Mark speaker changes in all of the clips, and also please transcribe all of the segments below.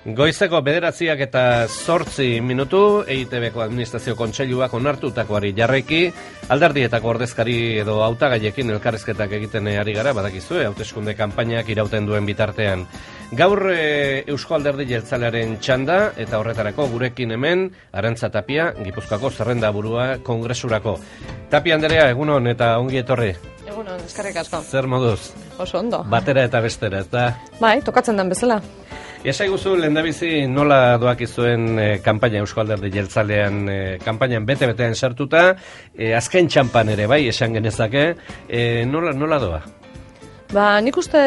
Speaker 1: Goizeko 9:08 EITBko administrazio kontseiluak onartutakoari jarraiki, alderdietako ordezkari edo hautagaiekin elkarrizketak egiten ari gara, badakizue, hauteskunde kanpainak irauten duen bitartean. Gaur Eusko Alderdi Jeltzalearen txanda eta horretarako gurekin hemen Arantza Tapia, Gipuzkoako zerrendaburua kongresurako. Tapia Anderea, egunon eta ongi etorri.
Speaker 2: Egunon, eskerrik asko.
Speaker 1: Zer moduz?
Speaker 2: Oso ondo.
Speaker 1: Batera eta bestera, ezta?
Speaker 2: Bai, tokatzen den bezala.
Speaker 1: Esaiguzu, lehendabizi nola doakizuen kanpaina Eusko Alderdi Jeltzalean kanpainan bete-betean sartuta, azken txampan ere bai, esan genezake, nola doa?
Speaker 2: Ba, nik uste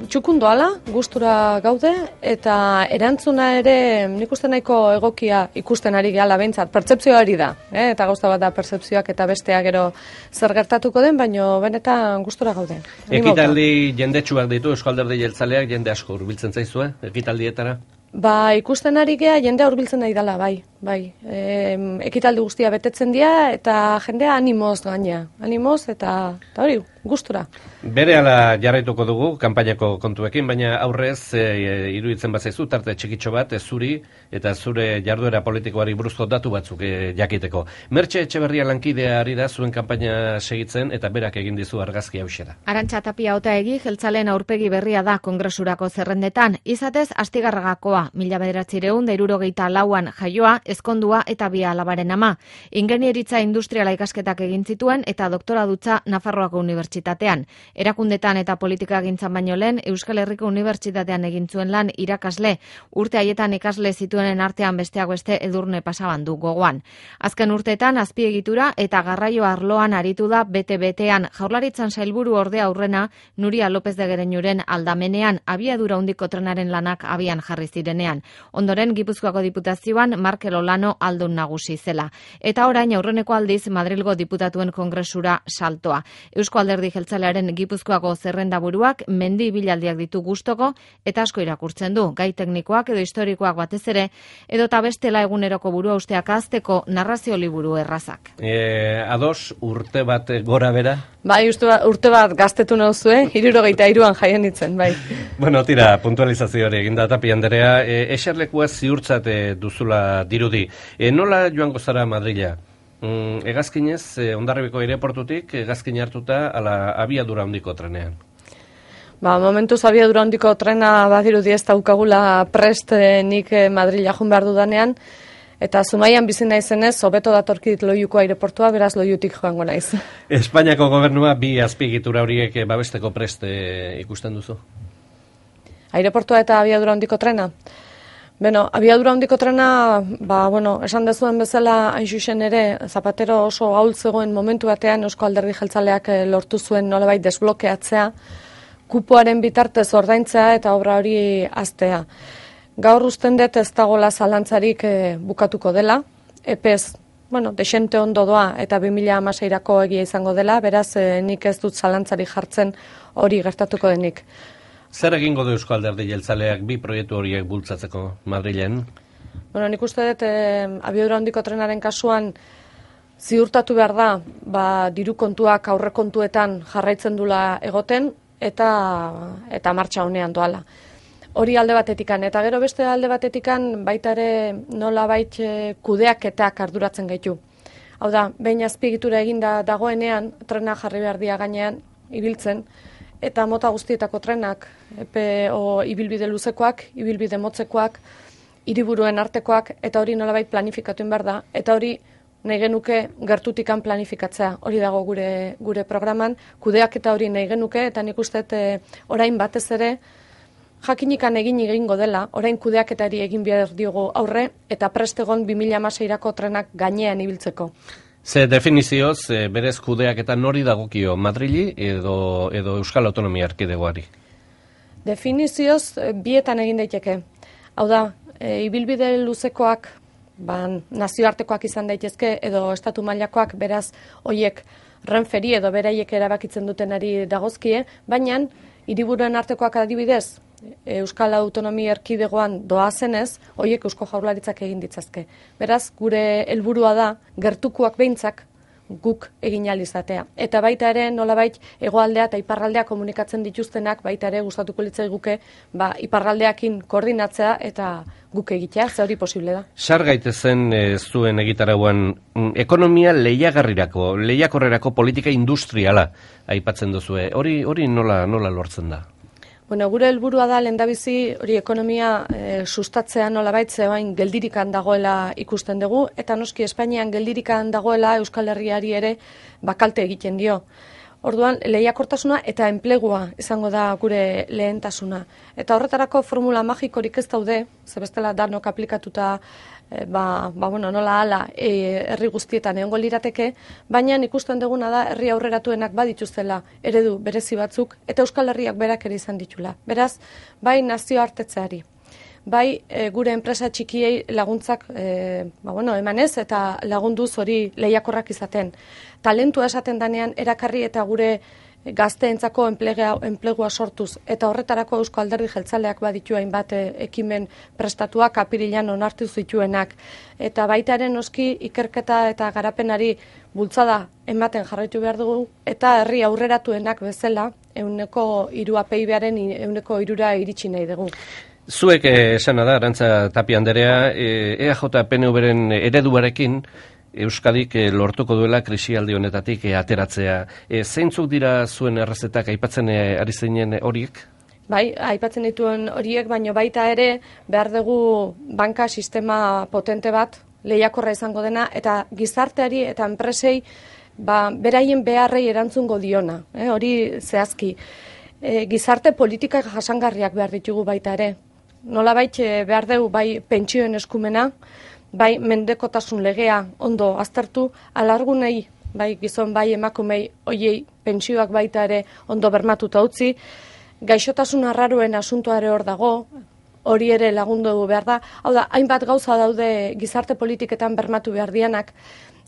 Speaker 2: txukun doala, gustura gaude, eta erantzuna ere nik uste nahiko egokia ikusten ari gehala behintzat, pertzepzioa hori da, eta gauza bat da pertzepzioak eta bestea gero zer gertatuko den, baino benetan gustura gaude.
Speaker 1: Ekitaldi jendetsuak ditu Eusko Alderdi Jeltzaleak, jende asko hurbiltzen zaizue, ekitaldietara?
Speaker 2: Ba, ikusten ari gea jendea hurbiltzen nahi dela, bai. Ekitaldi guztia betetzen dira eta jendea animoz gaina. Animoz eta hori, gustura.
Speaker 1: Berehala jarraituko dugu kanpainako kontuekin, baina aurrez iruditzen bazaizu tarte txikitxo bat zuri eta zure jarduera politikoari buruzko datu batzuk jakiteko. Mertxe Etxeberria lankidea ari da zuen kanpaina segitzen eta berak egin dizu argazki hauxera.
Speaker 3: Arantza Tapia Otaegi jeltzaleen aurpegi berria da kongresurako zerrendetan, izatez Astigarragakoa, 1974an jaioa, ezkondua eta bi alabaren ama. Ingenieritza industriala ikasketak egin zituen eta doktoradutza Nafarroako Unibertsitatean. Erakundetan eta politikagintzan baino lehen Euskal Herriko Unibertsitatean egin zuen lan irakasle. Urte haietan ikasle zituenen artean besteak beste Edurne Pasabandu gogoan. Azken urteetan azpiegitura eta garraio arloan aritu da bete-betean. Jaurlaritzan sailburu ordea aurrena Nuria López de Gereñuren aldamenean abiadura handiko trenaren lanak abian jarri zirenean. Ondoren Gipuzkoako Diputazioan Markel Olano aldun nagusi zela. Eta orain aurreneko aldiz Madrilgo diputatuen kongresura saltoa. Eusko Alderdi Jeltzalearen Gipuzkoako zerrendaburuak mendi ibilaldiak ditu gustoko eta asko irakurtzen du. Gai teknikoak edo historikoak batez ere, edota bestela eguneroko burua usteak azteko narrazio liburu errazak.
Speaker 1: Ados, urte bat gora bera?
Speaker 2: Bai, urte bat gaztetu nauzue, 73an jaien ditzen, bai.
Speaker 1: Bueno, tira, puntualizazio hori eginda Tapia Anderea, eserlekua ziurtzat duzula dirudi. Nola joango zara Madrila? Hegazkinez, Hondarribiko aireportutik, hegazkin hartuta ala abiadura handiko trenean.
Speaker 2: Ba, momentuz abiadura handiko trena badirudi ez daukagula prest nik Madrila joan behar dudanean, eta Zumaian bizi naizenez, hobeto datorkit Loiuko aireportua, beraz Loiutik joango naiz.
Speaker 1: Espainiako gobernua bi azpiegitura horiek babesteko prest ikusten duzu?
Speaker 2: Aireportua eta abiadura handiko trena? Beno, abiadura handiko trena, esan dezuen bezala, hain zuzen ere, Zapatero oso ahul zegoen momentu batean Eusko Alderdi Jeltzaleak lortu zuen nolabait desblokeatzea, kupoaren bitartez ordaintzea eta obra hori hastea. Gaur usten dut ez dagoela zalantzarik bukatuko dela, epez, desente ondo doa eta 2016ko egia izango dela, beraz nik ez dut zalantzarik jartzen hori gertatuko denik.
Speaker 1: Zer egingo du Eusko Alderdi Jeltzaleak bi proiektu horiek bultzatzeko Madrilen?
Speaker 2: Nik uste dut abiadura handiko trenaren kasuan ziurtatu behar da, diru kontuak aurrekontuetan jarraitzen dula egoten eta martxa honean doala. Hori alde batetikan, eta gero beste alde batetikan baita ere nolabait kudeaketak arduratzen gaitu. Hau da, behin azpiegitura eginda dagoenean, trena jarri behar dia gainean ibiltzen, eta mota guztietako trenak, ibilbide luzekoak, ibilbide motzekoak, hiriburuen artekoak, eta hori nolabait planifikatu behar da, eta hori nahi genuke gertutikan planifikatzea. Hori dago gure programan, kudeak eta hori nahi genuke, eta nik uste orain batez ere, jakinikan egingo dela, orain kudeaketari egin behar diogu aurre, eta prestegon 2016ko trenak gainean ibiltzeko.
Speaker 1: Ze definizioz, berez kudeaketa nori dagokio, Madrili edo Euskal Autonomia Erkidegoari?
Speaker 2: Definizioz, bietan egin daiteke. Hau da, ibilbide luzekoak, nazioartekoak izan daitezke, edo estatu mailakoak, beraz, hoiek Renferi edo beraiek erabakitzen dutenari dagozkie, baina, hiriburuen artekoak adibidez, Euskal Autonomia Erkidegoan doazenez, hoiek Eusko Jaurlaritzak egin ditzazke. Beraz, gure helburua da, gertukoak behintzak, guk egin ahal izatea. Eta baita ere nolabait hegoaldea eta iparraldea komunikatzen dituztenak baita ere gustatuko litzaiguke iparraldeakin koordinatzea eta guk egitea, ze hori posible da.
Speaker 1: Sar gaitezen zuen egitarauan ekonomia lehiakorrerako politika industriala aipatzen duzue. Hori nola lortzen da?
Speaker 2: Bueno, gure helburua da lehendabizi hori ekonomia sustatzea nolabait zeoain geldirikan dagoela ikusten dugu, eta noski Espainian geldirikan dagoela Euskal Herriari ere bakalte egiten dio. Orduan, lehiakortasuna eta enplegua izango da gure lehentasuna. Eta horretarako formula magikorik ez daude, zebestela danok aplikatuta nola hala herri guztietan egongo lirateke, baina ikusten duguna da herri aurreratuenak badituztela eredu berezi batzuk eta Euskal Herriak berak ere izan ditula. Beraz, bai nazioartetzeari, bai gure enpresa txikiei laguntzak emanez eta lagunduz hori lehiakorrak izaten. Talentua esaten danean erakarri eta gure gazteentzako enplegua sortuz eta horretarako Eusko Alderdi Jeltzaleak baditu hainbat ekimen prestatuak apirilean onartu zituenak eta baitaren noski ikerketa eta garapenari bultzada ematen jarraitu behar dugu eta herri aurreratuenak bezala 103 PIB-aren 103 iritsi nahi dugu.
Speaker 1: Zuek esana da, Arantza Tapia Anderea, EAJ PNV-ren ereduarekin Euskadik lortuko duela krisialdi honetatik ateratzea. Zeintzuk dira zuen errezetak aipatzen ari zeinen horiek?
Speaker 2: Bai, aipatzen dituen horiek, baino baita ere behar dugu banka sistema potente bat, lehiakorra izango dena, eta gizarteari eta enpresei beraien beharrei erantzungo diona, hori zehazki. Gizarte politikak jasangarriak behar ditugu baita ere. Nolabait behar dugu bai pentsioen eskumena, bai mendekotasun legea ondo aztertu, alargunei, bai gizon, bai emakumei, hoiei pentsioak baita ere ondo bermatuta utzi, gaixotasun arraroen asuntoa ere hor dago, hori ere lagundu behar da. Hau da, hainbat gauza daude gizarte politiketan bermatu behar dianak,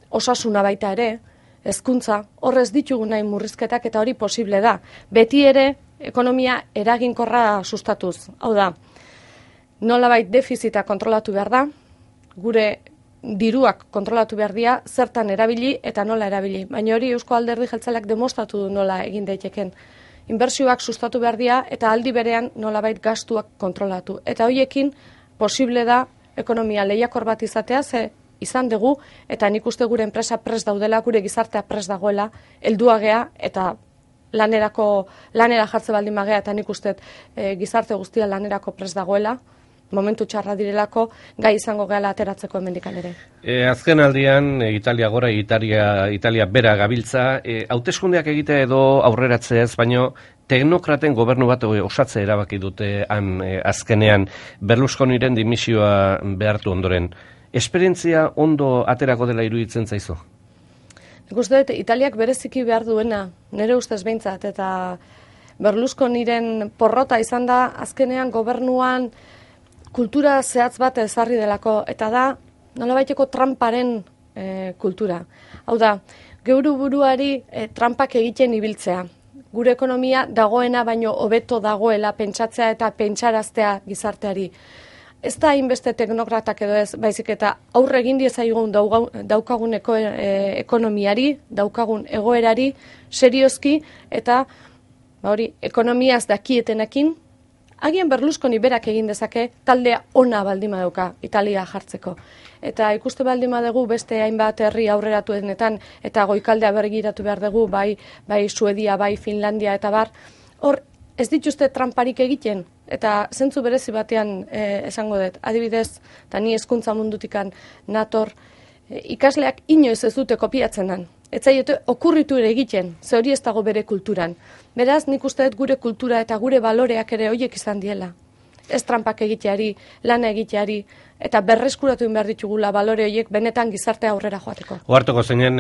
Speaker 2: osasuna baita ere, hezkuntza, horrez ditugu nahi murrizketak eta hori posible da. Beti ere, ekonomia eraginkorra sustatuz. Hau da, nolabait defizita kontrolatu behar da, gure diruak kontrolatu behar dira, zertan erabili eta nola erabili. Baina hori Eusko Alderdi Jeltzaleak demostratu du nola egin daiteken. Inbertsioak sustatu behar dira eta aldi berean nolabait gastuak kontrolatu. Eta horiekin posible da ekonomia lehiakor bat izatea, ze izan dugu, eta nik uste gure enpresa prest daudela, gure gizartea prest dagoela, helduagea eta lanera jartze baldin magea, eta nik uste gizarte guztia lanerako prest dagoela, momentu txarra direlako, gai izango gehala ateratzeko hemendikan ere.
Speaker 1: Azken aldian, Italia gora, Italia bera gabiltza, hauteskundeak egitea edo aurreratzeaz, baino teknokraten gobernu bat osatze erabaki dute azkenean, Berlusconiren dimisioa behartu ondoren. Esperientzia ondo aterako dela iruditzen zaizu?
Speaker 2: Nik uste dut, Italiak bereziki behar duena, nire ustez behintzat, eta Berlusconiren porrota izan da, azkenean gobernuan kultura zehatz bat ezarri delako, eta da nolabaiteko tramparen kultura. Hau da, geure buruari trampak egiten ibiltzea. Gure ekonomia dagoena baino hobeto dagoela pentsatzea eta pentsaraztea gizarteari. Ez da hainbeste teknokratak edo ez, baizik eta aurre egin diezaigun daukagun ekonomiari, daukagun egoerari, seriozki, eta ekonomiaz dakietenekin, agian Berlusconi berak egin dezake taldea ona baldima dauka Italia jartzeko. Eta ikuste baldima dugu beste hainbat herri aurreratuenetan eta goikaldea bergiratu behar dugu, bai Suedia, bai Finlandia eta bar, hor ez dituzte tramparik egiten, eta zentzu berezi batean esango dut, adibidez, eta ni hezkuntza mundutikan nator, ikasleak inoiz ez dute kopiatzen dan. Ez zaiote okurritu ere egiten, ze hori ez dago bere kulturan. Beraz, nik uste dut gure kultura eta gure baloreak ere horiek izan diela. Ez trampak egiteari, lana egiteari, eta berreskuratu behar ditugula balore horiek benetan gizartea aurrera joateko.
Speaker 1: Ohartuko zeinen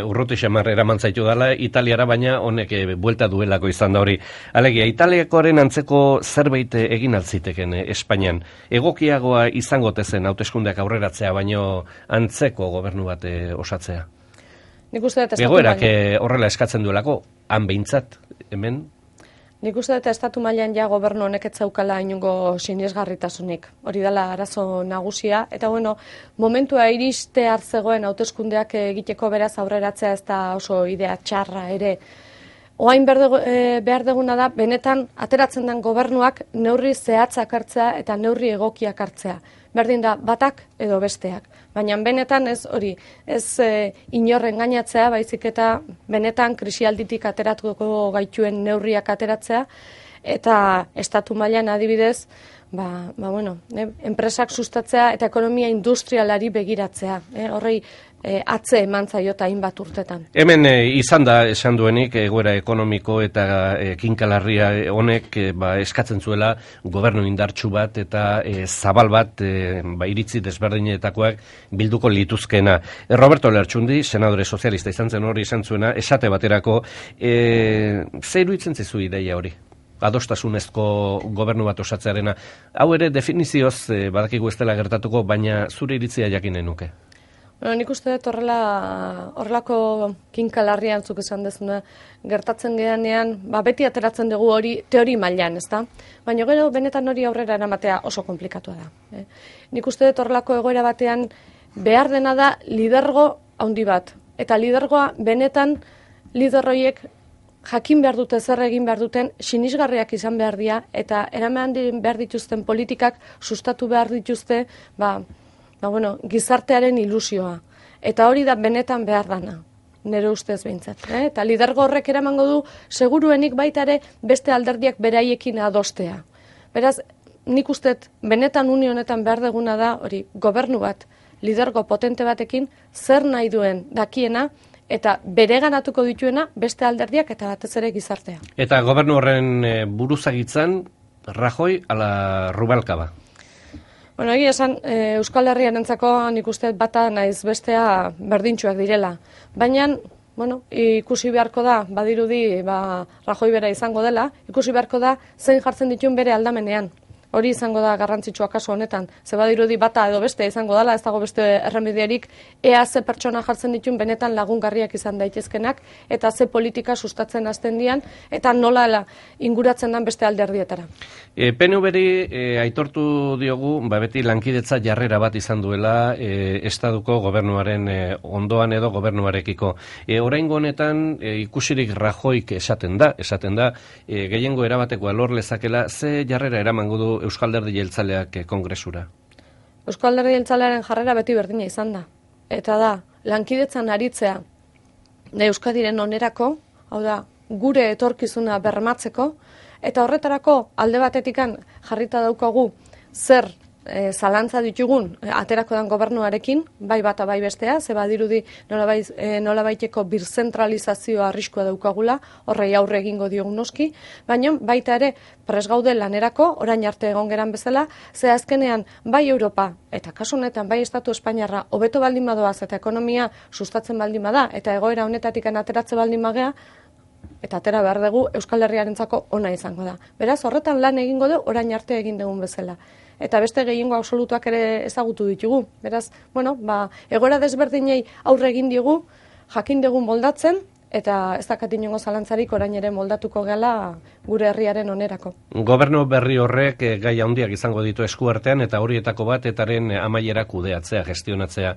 Speaker 1: urruti xamar eraman zaitu dela Italiara, baina honek buelta duelako izan da hori. Alegia, Italiakoaren antzeko zerbait egin altziteken Espainian. Egokiagoa izango tezen hauteskundeak aurreratzea, baino antzeko gobernu bat osatzea.
Speaker 2: Nik uste dut
Speaker 1: egoerak horrela eskatzen duelako, han behintzat, hemen?
Speaker 2: Nik uste dut estatu mailan ja gobernu honek ez zaukala inungo sinesgarritasunik. Hori dela arazo nagusia. Eta momentua iristear zegoen hauteskundeak egiteko beraz aurreratzea ez da oso idea txarra ere. Oain behar deguna da, benetan ateratzen den gobernuak neurri zehatzak hartzea eta neurri egokiak hartzea. Berdin da batak edo besteak. Baina benetan ez hori, ez inorren gainatzea, baizik eta benetan krisialditik ateratuko gaituen neurriak ateratzea, eta estatu mailan adibidez, enpresak sustatzea eta ekonomia industrialari begiratzea. Horrei atze eman zaiota hainbat urtetan.
Speaker 1: Hemen izan da esan duenik egoera ekonomiko eta kinkalarria honek eskatzen zuela gobernu indartsu bat eta zabal bat iritzi desberdinetakoak bilduko lituzkena. Roberto Lertxundi, senadore sozialista izan zen hori izan zuena, esate baterako, zer iruditzen zizu ideia hori? Adostasunezko gobernu bat osatzearena. Hau ere definizioz badakigu ez dela gertatuko, baina zure iritzia jakinen nuke.
Speaker 2: Nik uste dut horrelako kinkalarria antzuk esan dezuna gertatzen geanean, beti ateratzen dugu hori teori mailan, ezta? Baina gero benetan hori aurrera eramatea oso komplikatua da. Nik uste dut horrelako egoera batean behar dena da lidergo handi bat. Eta lidergoa benetan liderroiek jakin behar dute zer egin behar duten, sinisgarriak izan behar dira, eta eraman behar dituzten politikak sustatu behar dituzte, gizartearen ilusioa. Eta hori da benetan behar dana, nire ustez behintzat. Eta lidergo horrek eramango du, seguruenik baita ere beste alderdiak beraiekin adostea. Beraz, nik ustez benetan unionetan behar deguna da, hori, gobernu bat, lidergo potente batekin, zer nahi duen dakiena, eta bereganatuko dituena beste alderdiak eta batez ere gizartea.
Speaker 1: Eta gobernu horren buruzagitzan, Rajoy ala Rubalcaba?
Speaker 2: Egia esan, Euskal Herriarentzako nik uste bata naiz bestea berdintsuak direla. Baina, ikusi beharko da, badirudi, Rajoy bera izango dela, ikusi beharko da zein jartzen dituen bere aldamenean. Hori izango da garrantzitsua kasu honetan. Ze badirudi bata edo beste izango dela, ez dago beste erremedierik, ea ze pertsona jartzen dituen benetan lagungarriak izan daitezkenak, eta ze politika sustatzen hasten dian, eta nola inguratzen den beste alderdietara.
Speaker 1: PNV-ri aitortu diogu, beti lankidetza jarrera bat izan duela estaduko gobernuaren ondoan edo gobernuarekiko. Oraingo honetan ikusirik Rajoyk esaten da, gehiengo erabatekoa lor lezakela, ze jarrera eramango du Euskal Alderdi Jeltzaleak kongresura?
Speaker 2: Euskal Alderdi Jeltzalearen jarrera beti berdina izan da. Eta da, lankidetzan aritzea Euskadiren onerako, hau da, gure etorkizuna bermatzeko, eta horretarako alde batetikan jarrita daukagu zer zalantza ditugun aterako den gobernuarekin, bai bata bai bestea, ze badirudi nolabaiteko birzentralizazio arriskua daukagula, horrei aurre egingo diogun noski, baina baita ere pres gaude lanerako, orain arte egon geran bezala, ze azkenean bai Europa, eta kasu honetan bai Estatu Espainiarra, hobeto baldin badoaz eta ekonomia sustatzen baldin bada, eta egoera honetatik ateratze baldin bagea, eta atera behar dugu Euskal Herriarentzako ona izango da. Beraz, horretan lan egingo du, orain arte egin dugun bezala. Eta beste gehiengo absolutuak ere ezagutu ditugu. Beraz, egoera desberdinei aurre egin digu, jakin dugun moldatzen, eta ez dakat inongo zalantzarik orain ere moldatuko gela gure herriaren onerako.
Speaker 1: Gobernu berri horrek gai handiak izango ditu eskuartean, eta horietako bat etaren amaiera kudeatzea, gestionatzea.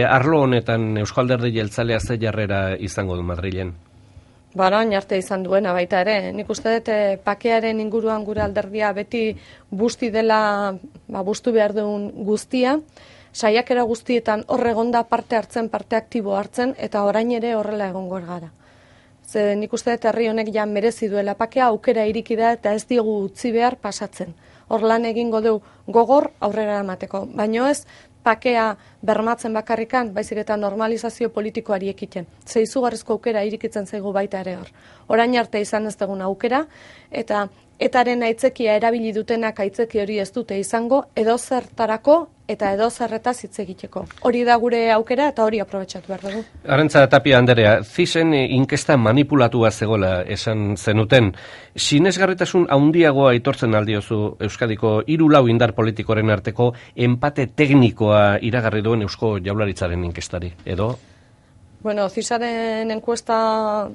Speaker 1: Arlo honetan Euskal Alderdi Jeltzalea ze jarrera izango du Madrilen?
Speaker 2: Orain arte izan duena baita ere. Nik uste dut pakearen inguruan gure alderdia beti busti dela, bustu behar duen guztia, saiakera guztietan horregonda parte hartzen, parte aktibo hartzen, eta orain ere horrela egongo gara. Ze nik uste dut herri honek ja merezi duela pakea, aukera iriki da eta ez diogu utzi behar pasatzen. Hor lan egingo du gogor aurrera emateko, baino ez pakea bermatzen bakarrikan, baizik eta normalizazio politikoari ekiten. Ze izugarrizko aukera irikitzen zaigu baita ere hor. Orain arte izan ez dugun aukera, eta etaren aitzekia erabili dutenak aitzeki hori ez dute izango, edozertarako eta edozerretaz hitz egiteko. Hori da gure aukera eta hori aprobetxatu behar dugu.
Speaker 1: Arantza Tapia Anderea, CISen inkesta manipulatua zegoela esan zenuten. Sinesgarritasun handiagoa aitortzen aldiozu Euskadiko 3 indar politikoren arteko enpate teknikoa iragarri duen Eusko Jaurlaritzaren inkestari, edo?
Speaker 2: CISaren enkuesta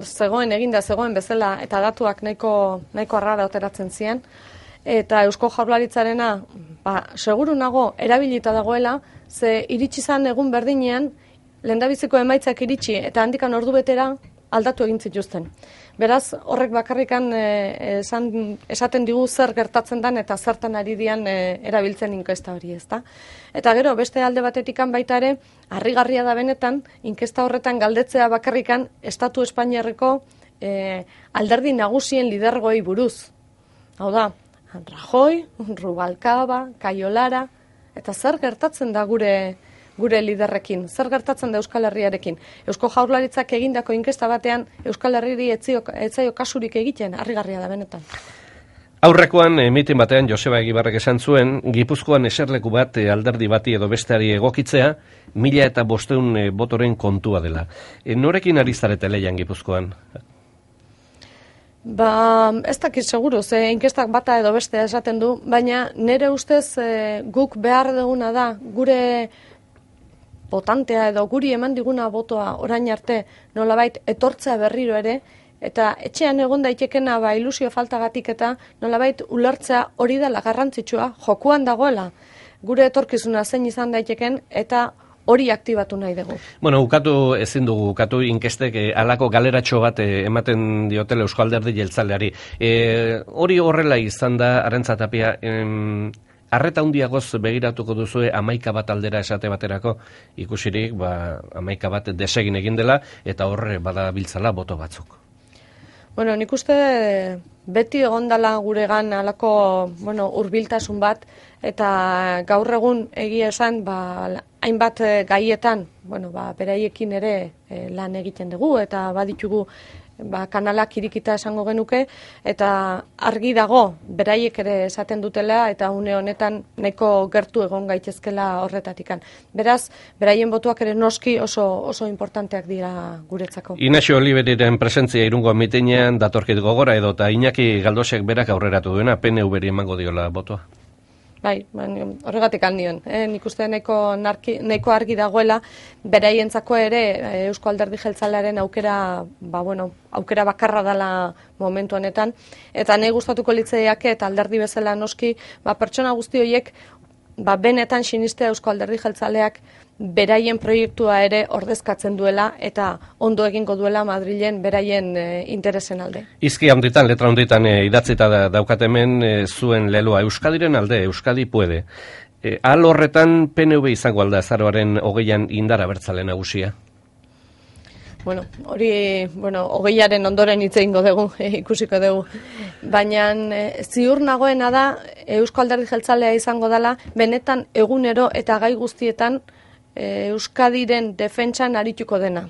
Speaker 2: zegoen zegoen bezala eta datuak nahiko arrara ateratzen ziren. Eta Eusko Jaurlaritzarena, seguru nago erabilita dagoela, ze iritsi zan egun berdinean, lehendabiziko emaitzak iritsi eta handikan ordu betera aldatu egin zituzten. Beraz, horrek bakarrikan esaten digu zer gertatzen den eta zertan ari dian erabiltzen inkesta hori, ezta? Eta gero, beste alde batetikan baita ere, harrigarria da benetan, inkesta horretan galdetzea bakarrikan Estatu Espainiarreko alderdi nagusien lidergoei buruz. Hau da, Rajoy, Rubalcaba, Cayo Lara, eta zer gertatzen da gure liderrekin, zer gertatzen da Euskal Herriarekin. Eusko Jaurlaritzak egindako inkesta batean Euskal Herriri etzaio kasurik egiten, harrigarria da benetan.
Speaker 1: Aurrekoan, mitin batean, Joseba Egibarrek esan zuen, Gipuzkoan eserleku bat alderdi bati edo besteari egokitzea, 1500 botoren kontua dela. Norekin ari zarete lehian Gipuzkoan?
Speaker 2: Ez dakit seguru, ze inkestak bata edo bestea esaten du, baina nire ustez guk behar duguna da, gure botantea edo guri eman diguna botoa orain arte nolabait etortzea berriro ere, eta etxean egon daitekena ilusio faltagatik eta nolabait ulertzea hori dela garrantzitsua, jokuan dagoela, gure etorkizuna zein izan daiteken eta hori aktibatu nahi dugu.
Speaker 1: Ezin dugu ukatu inkestek alako galeratxo bat ematen diotela Eusko Alderdi Jeltzaleari. Hori horrela izan da, Arantza Tapia, arreta handiagoz begiratuko duzue 11 bat aldera esate baterako, ikusirik 11 bat desegin egin dela, eta horre badabiltzala boto batzuk.
Speaker 2: Nik uste beti egondala guregan alako hurbiltasun bat, eta gaur egun egia esan hainbat gaietan beraiekin ere lan egiten dugu, eta baditugu kanalak irikita esango genuke, eta argi dago beraiek ere esaten dutela, eta une honetan nahiko gertu egon gaitezkela horretatikan. Beraz, beraien botuak ere noski oso importanteak dira guretzako.
Speaker 1: Inaxio Oliveriren presentzia Irungo mitinean datorkit gogora edo, eta Iñaki Galdosek berak aurreratu duena, PNV-ri emango diola botoa.
Speaker 2: Bai, horregatik handion. Nik uste nahiko argi dagoela, beraientzako ere Eusko Alderdi Jeltzalearen aukera bakarra dela momentu honetan, eta nahi gustatuko litzaiake eta alderdi bezala noski, pertsona guzti horiek benetan sinistea Eusko Alderdi Jeltzaleak beraien proiektua ere ordezkatzen duela eta ondo egingo duela Madrilen beraien interesen alde.
Speaker 1: Izki handitan, letra handitan idatzita daukat hemen zuen leloa Euskadiren alde, Euskadi puede. Ahal horretan PNV izango alda azaroaren 20an indar abertzale nagusia?
Speaker 2: Hori, hogeiaren ondoren hitz egingo dugu, ikusiko dugu. Baina ziur nagoena da Eusko Alderdi Jeltzalea izango dela, benetan egunero eta gai guztietan Euskadiren defentsan arituko dena.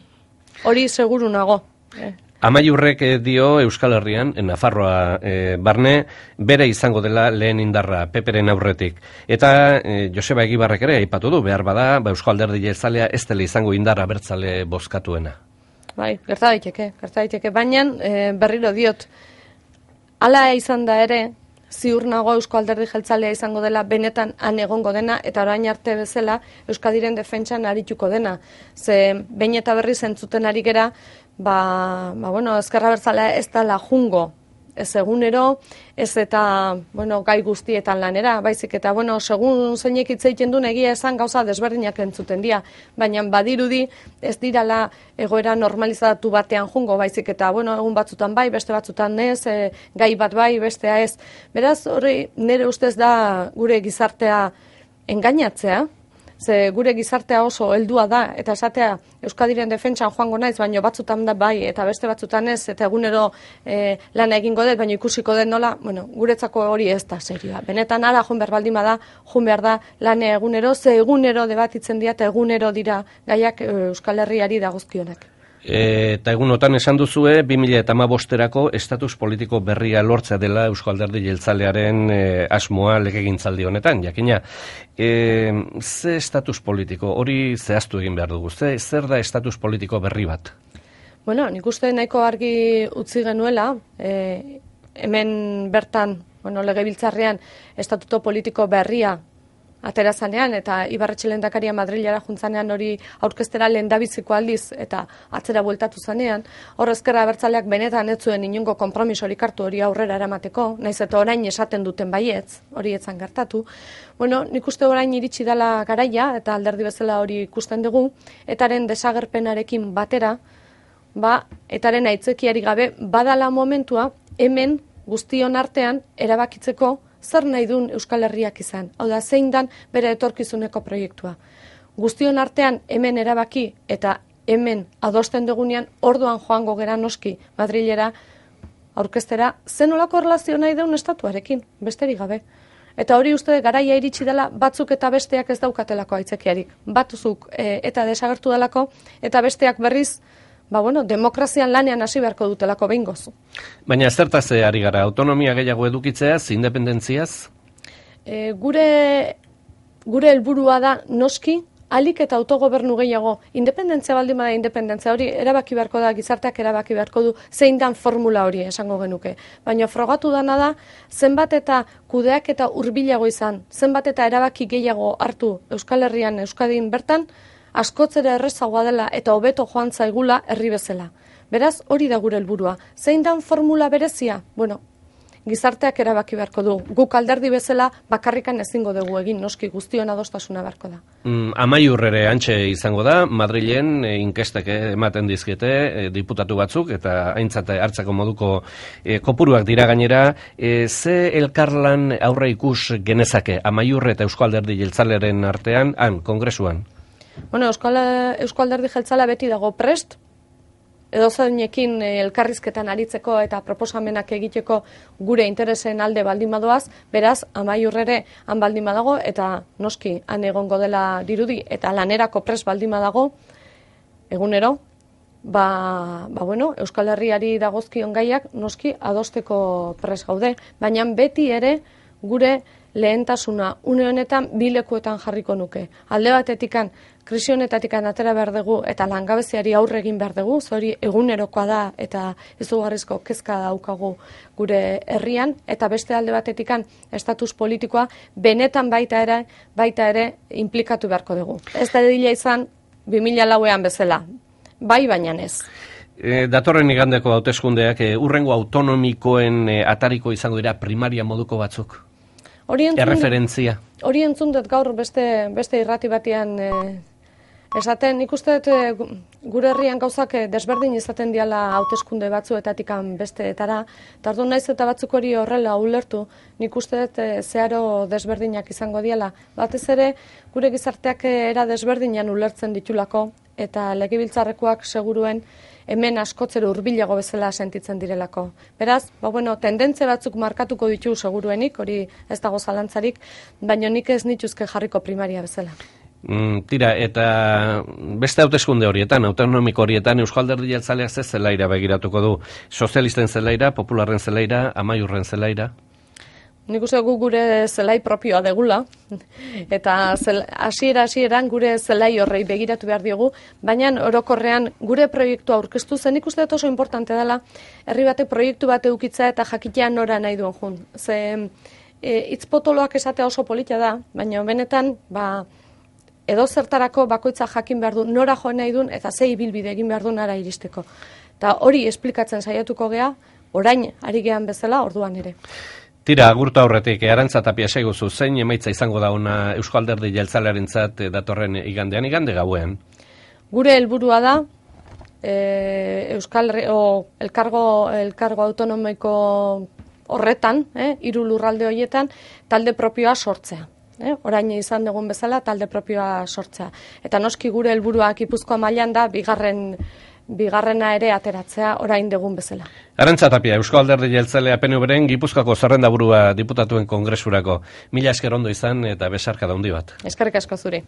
Speaker 2: Hori seguru nago.
Speaker 1: Amaiurrek dio Euskal Herrian, Nafarroa barne, bere izango dela lehen indarra, Peperen aurretik. Eta Joseba Egibarrek ere aipatu du, behar bada, Eusko Alderdi Jeltzalea ez dela izango indarra abertzale bozkatuena.
Speaker 2: Bai, gerta daiteke, baina berriro diot, hala izan da ere, ziur nago Eusko Alderdi Jeltzalea izango dela benetan han egongo dena, eta orain arte bezala Euskadiren defentsan arituko dena. Ze behin eta berriz entzuten ari gera, Ezker Abertzalea ez dela jungo, ez egunero, ez eta gai guztietan lanera, baizik eta segun zeinek hitz egiten duen egia esan gauza desberdinak entzuten dira, baina badirudi ez dirala egoera normalizatu batean jungo, baizik eta egun batzutan bai, beste batzutan ez, gai bat bai, bestea ez. Beraz, hori nire ustez da gure gizartea engainatzea, ze gure gizartea oso heldua da, eta esatea Euskadiren defentsan joango naiz, baina batzutan da bai, eta beste batzutan ez, eta egunero lan egingo dut, baina ikusiko den nola, guretzako hori ez da serioa. Benetan ara joan behar baldin bada, joan behar da lane egunero, ze egunero debatitzen dira, eta egunero dira gaiak Euskal Herriari dagozkionak.
Speaker 1: Eta egunotan esan duzue, 2015erako estatus politiko berria lortzea dela Eusko Alderdi Jeltzalearen asmoa legegintzaldi honetan, jakina. Ze estatus politiko, hori zehaztu egin behar dugu, zer da estatus politiko berri bat?
Speaker 2: Nik uste nahiko argi utzi genuela, hemen bertan, legebiltzarrean, estatuto politiko berria aterazanean, eta Ibarretxe lehendakaria Madrilera juntzanean hori aurkeztera lehendabiziko aldiz, eta atzera bueltatu zanean, hor ezkerra abertzaleak benetan ez zuen inongo konpromisorik hartu hori aurrera eramateko, naiz eta orain esaten duten baietz, hori etzan gertatu. Bueno, nik uste orain iritsi dela garaia, eta alderdi bezala hori ikusten dugu, etaren desagerpenarekin batera, etaren aitzakiari gabe badala momentua, hemen guztion artean erabakitzeko zer nahi duen Euskal Herriak izan. Hau da, zein dan bere etorkizuneko proiektua. Guztion artean hemen erabaki eta hemen adosten dugunean orduan joango gera noski Madrilera aurkeztera zenolako erlazio nahi duen estatuarekin, besterik gabe. Eta hori uste garaia iritsi dela batzuk eta besteak ez daukatelako aitzakiarik. Batzuk eta desagertu delako eta besteak berriz demokrazian lanean hasi beharko dutelako behingoz.
Speaker 1: Baina zertaz ari gara, autonomia gehiago edukitzeaz, independentziaz?
Speaker 2: Gure helburua da noski, alik eta autogobernu gehiago, independentzia baldin bada independentzia hori erabaki beharko da, gizarteak erabaki beharko du, zein dan formula hori esango genuke. Baina frogatu dana da, zenbat eta kudeak eta hurbilago izan, zenbat eta erabaki gehiago hartu Euskal Herrian, Euskadin bertan, askotzera errezagoa dela eta hobeto joan zaigula herri bezala. Beraz, hori da gure helburua. Zein dan formula berezia? Gizarteak erabaki beharko du. Guk alderdi bezala bakarrikan ezingo dugu egin, noski guztion adostasuna beharko da.
Speaker 1: Amaiur ere antxe izango da, Madrilen inkestek ematen dizkiete diputatu batzuk, eta aintzat hartzako moduko kopuruak dira gainera. Ze elkarlan aurre ikus genezake Amaiur eta Eusko Alderdi Jeltzalearen artean, kongresuan?
Speaker 2: Euskal Alderdi Jeltzalea beti dago prest, edozeinekin elkarrizketan aritzeko eta proposamenak egiteko gure interesen alde baldin badoaz, beraz, Amaiur ere han baldin badago, eta noski han egongo dela dirudi, eta lanerako prest baldin badago, egunero, Euskal Herriari dagozkion gaiak noski adosteko prest gaude, baina beti ere gure lehentasuna une honetan bi lekuetan jarriko nuke. Alde batetikan, krisi honetatikan atera behar dugu eta langabeziari aurre egin behar dugu, hori egunerokoa da eta izugarrizko kezka daukagu gure herrian, eta beste alde batetikan estatus politikoa benetan baita ere implikatu beharko dugu. Ez da dila izan 2004an bezala, baina ez.
Speaker 1: Datorren igandeko hauteskundeak hurrengo autonomikoen atariko izango dira primaria moduko batzuk? Erreferentzia.
Speaker 2: Hori entzun dut gaur beste irrati batean esaten, nik uste dut gure herrian gauzak desberdin izaten diala hauteskunde batzuetatikan besteetara, eta orduan naiz eta batzuk hori horrela ulertu, nik uste dut zeharo desberdinak izango diala. Batez ere, gure gizarteak era desberdinan ulertzen ditulako, eta legebiltzarrekoak seguruen hemen askotzero hurbilago bezala sentitzen direlako. Beraz, tendentzia batzuk markatuko ditu seguruenik, hori ez dago zalantzarik, baina nik ez nituzke jarriko primaria bezala.
Speaker 1: Tira, eta beste hauteskunde horietan, autonomiko horietan, Euskal Alderdi Jeltzaleak ze zelaira begiratuko du? Sozialisten zelaira, popularren zelaira, Amaiurren zelaira?
Speaker 2: Nik uste gure zelai propioa degula, eta hasieran gure zelai horrei begiratu behar diogu, baina orokorrean gure proiektua aurkeztu zen, nik uste oso importante dela, herri batek proiektu bat eukitza eta jakitea nora nahi duen jun. Ze hitzpotoloak esatea oso politia da, baina benetan, edo zertarako bakoitza jakin behar du, nora joan nahi duen, eta ze ibilbide egin behar du nara iristeko. Eta hori esplikatzen saiatuko gea, orain ari gean bezala, orduan ere.
Speaker 1: Tira, agurtu aurretik, Arantza Tapia esaiguzu, zein emaitza izango da ona Eusko Alderdi Jeltzalearentzat datorren igande gauean?
Speaker 2: Gure helburua da, elkargo autonomiko horretan, 3 lurralde horietan, talde propioa sortzea. Orain izan dugun bezala, talde propioa sortzea. Eta noski gure helburua Gipuzkoa mailan da, bigarrena ere ateratzea orain dugun bezala.
Speaker 1: Arantza Tapia, Eusko Alderdi Jeltzalea PNV-ren Gipuzkoako zerrendaburua diputatuen kongresurako. Mila esker ondo izan eta besarka da handi bat.
Speaker 2: Eskerrik asko zuri.